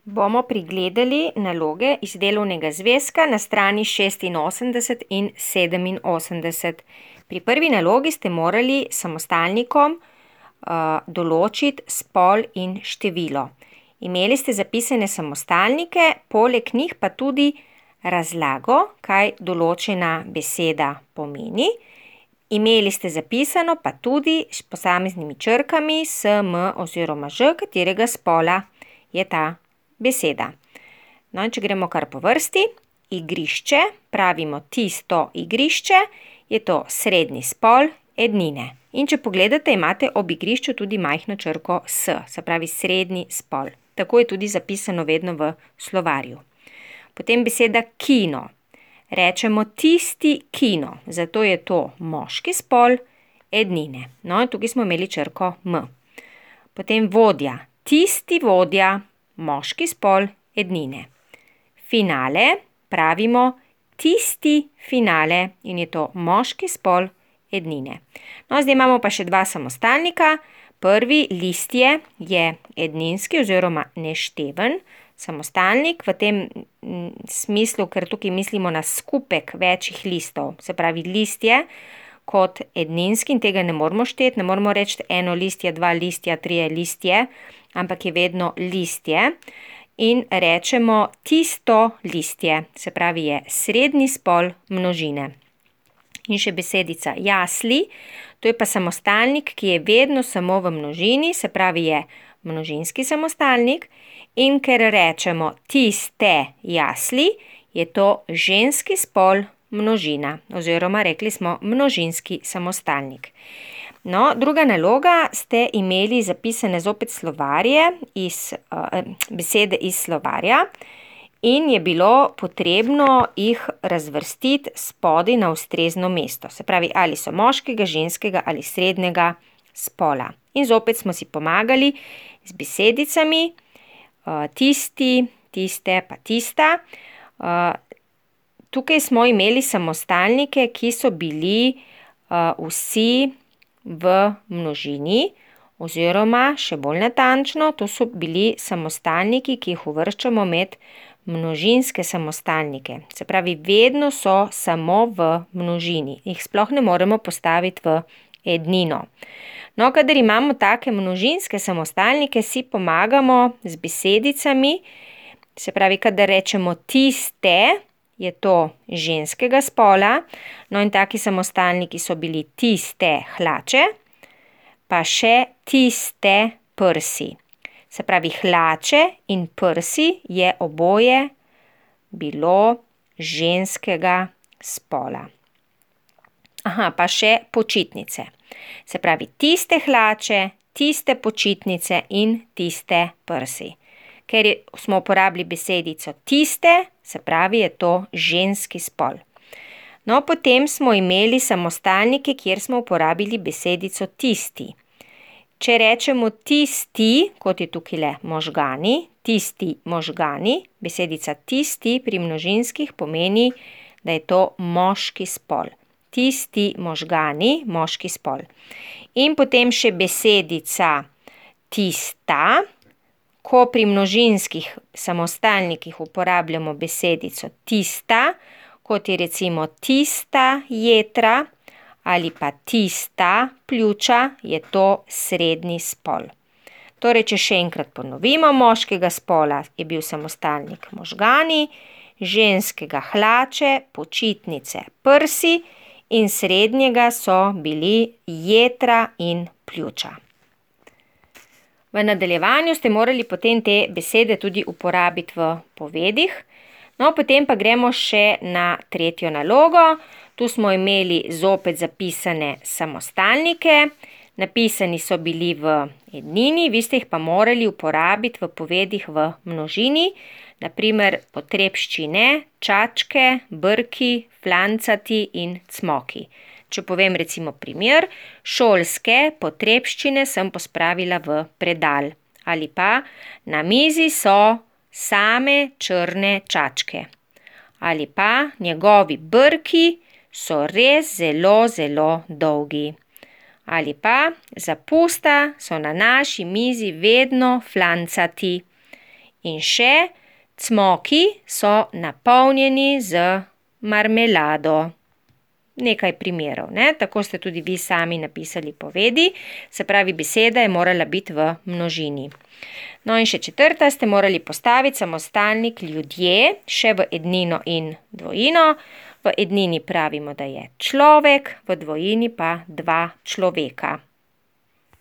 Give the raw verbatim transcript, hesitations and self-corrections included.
bomo pregledali naloge iz delovnega zvezka na strani šestinosemdeset in sedeminosemdeset. Pri prvi nalogi ste morali samostalnikom uh, določiti spol in število. Imeli ste zapisane samostalnike, poleg njih pa tudi razlago, kaj določena beseda pomeni. Imeli ste zapisano pa tudi s posameznimi črkami S, M oziroma Ž, katerega spola je ta beseda. No, in če gremo kar po vrsti, igrišče, pravimo tisto igrišče, je to srednji spol ednine. In če pogledate, imate ob igrišču tudi majhno črko S, se pravi srednji spol. Tako je tudi zapisano vedno v slovarju. Potem beseda kino. Rečemo tisti kino, zato je to moški spol ednine. No, in tukaj smo imeli črko M. Potem vodja. Tisti vodja, moški spol ednine. Finale, pravimo tisti finale in je to moški spol ednine. No, zdaj imamo pa še dva samostalnika. Prvi listje je edninski oziroma nešteven samostalnik v tem smislu, ker tukaj mislimo na skupek večjih listov, se pravi listje kot edninski in tega ne moramo šteti, ne moramo reči eno listje, dva listja, trije listje, ampak je vedno listje in rečemo tisto listje, se pravi je srednji spol množine. In še besedica jasli, to je pa samostalnik, ki je vedno samo v množini, se pravi je množinski samostalnik. In ker rečemo tiste jasli, je to ženski spol množina oziroma rekli smo množinski samostalnik. No, druga naloga, ste imeli zapisane zopet slovarje, iz, uh, besede iz slovarja in je bilo potrebno jih razvrstiti spodaj na ustrezno mesto. Se pravi, ali so moškega, ženskega ali srednjega spola. In zopet smo si pomagali z besedicami, tisti, tiste pa tista. Tukaj smo imeli samostalnike, ki so bili vsi v množini oziroma še bolj natančno, to so bili samostalniki, ki jih uvrščamo med množinske samostalnike. Se pravi, vedno so samo v množini. Jih sploh ne moremo postaviti v ednino. No, kadar imamo take množinske samostalnike, si pomagamo z besedicami, se pravi, kadar rečemo tiste, je to ženskega spola, no in taki samostalniki so bili tiste hlače, pa še tiste prsi. Se pravi, hlače in prsi je oboje bilo ženskega spola. Aha, pa še počitnice. Se pravi, tiste hlače, tiste počitnice in tiste prsi. Ker smo uporabili besedico tiste, se pravi, je to ženski spol. No, potem smo imeli samostalnike, kjer smo uporabili besedico tisti. Če rečemo tisti, kot je tukaj le možgani, tisti možgani, besedica tisti pri množinskih pomeni, da je to moški spol. Tisti možgani, moški spol. In potem še besedica tista, ko pri množinskih samostalnikih uporabljamo besedico tista, kot je recimo tista jetra ali pa tista pljuča, je to srednji spol. Torej, če še enkrat ponovimo, moškega spola je bil samostalnik možgani, ženskega hlače, počitnice, prsi, in srednjega so bili jetra in pljuča. V nadaljevanju ste morali potem te besede tudi uporabiti v povedih. No, potem pa gremo še na tretjo nalogo. Tu smo imeli zopet zapisane samostalnike. Napisani so bili v ednini, vi ste jih pa morali uporabiti v povedih v množini. Naprimer, potrebščine, čačke, brki, flancati in cmoki. Če povem recimo primer, šolske potrebščine sem pospravila v predal. Ali pa na mizi so same črne čačke. Ali pa njegovi brki so res zelo, zelo dolgi. Ali pa za pusta so na naši mizi vedno flancati. In še, cmoki so napolnjeni z marmelado. Nekaj primerov, ne? Tako ste tudi vi sami napisali povedi, se pravi, beseda je morala biti v množini. No in še četrta, ste morali postaviti samostalnik ljudje, še v ednino in dvojino. V ednini pravimo, da je človek, v dvojini pa dva človeka.